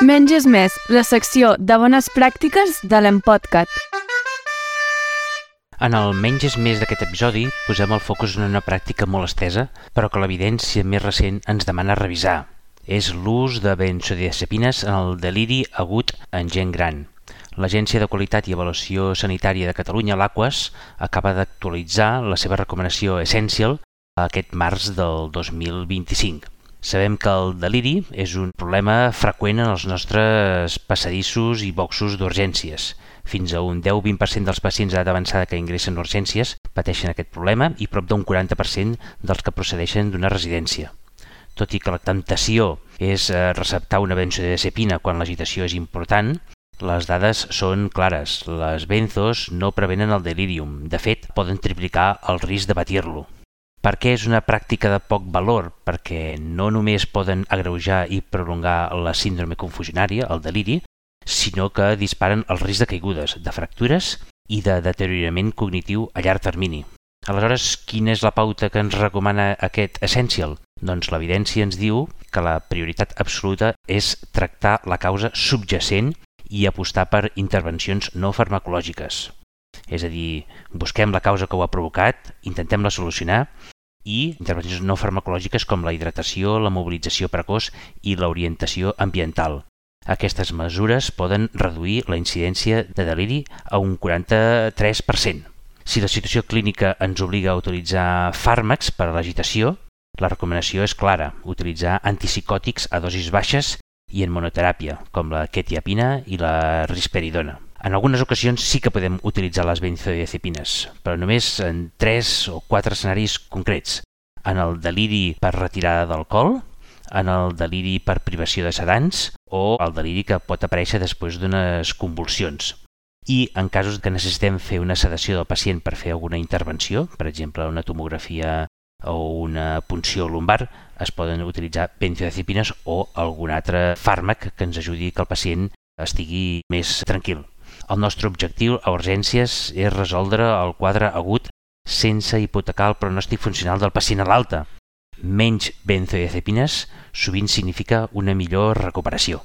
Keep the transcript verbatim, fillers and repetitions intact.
Menys és més, la secció de bones pràctiques de l'Empodcat. En el menys és més d'aquest episodi posem el focus en una pràctica molt estesa, però que l'evidència més recent ens demana revisar. És l'ús de benzodiazepines en el deliri agut en gent gran. L'Agència de Qualitat i Avaluació Sanitària de Catalunya, l'Aquas, acaba d'actualitzar la seva recomanació Essential aquest març del dos mil vint-i-cinc. Sabem que el deliri és un problema freqüent en els nostres passadissos i boxos d'urgències. Fins a un deu a vint per cent dels pacients d'edat avançada que ingressen a urgències pateixen aquest problema i prop d'un quaranta per cent dels que procedeixen d'una residència. Tot i que la temptació és receptar una benzodiazepina quan l'agitació és important, les dades són clares. Les benzos no prevenen el delirium. De fet, poden triplicar el risc de patir-lo. Per què és una pràctica de poc valor? Perquè no només poden agreujar i prolongar la síndrome confusionària, el deliri, sinó que disparen el risc de caigudes, de fractures i de deteriorament cognitiu a llarg termini. Aleshores, quina és la pauta que ens recomana aquest Essential? Doncs l'evidència ens diu que la prioritat absoluta és tractar la causa subjacent i apostar per intervencions no farmacològiques. És a dir, busquem la causa que ho ha provocat, intentem-la solucionar i intervencions no farmacològiques com la hidratació, la mobilització precoç i l'orientació ambiental. Aquestes mesures poden reduir la incidència de deliri a un quaranta-tres per cent. Si la situació clínica ens obliga a utilitzar fàrmacs per a l'agitació, la recomanació és clara, utilitzar antipsicòtics a dosis baixes i en monoteràpia, com la quetiapina i la risperidona. En algunes ocasions sí que podem utilitzar les benzodiazepines, però només en tres o quatre escenaris concrets. En el deliri per retirada d'alcohol, en el deliri per privació de sedants o el deliri que pot aparèixer després d'unes convulsions. I en casos que necessitem fer una sedació del pacient per fer alguna intervenció, per exemple una tomografia o una punció lumbar, es poden utilitzar benzodiazepines o algun altre fàrmac que ens ajudi que el pacient estigui més tranquil. El nostre objectiu a urgències és resoldre el quadre agut sense hipotecar el pronòstic funcional del pacient a l'alta. Menys benzodiazepines sovint significa una millor recuperació.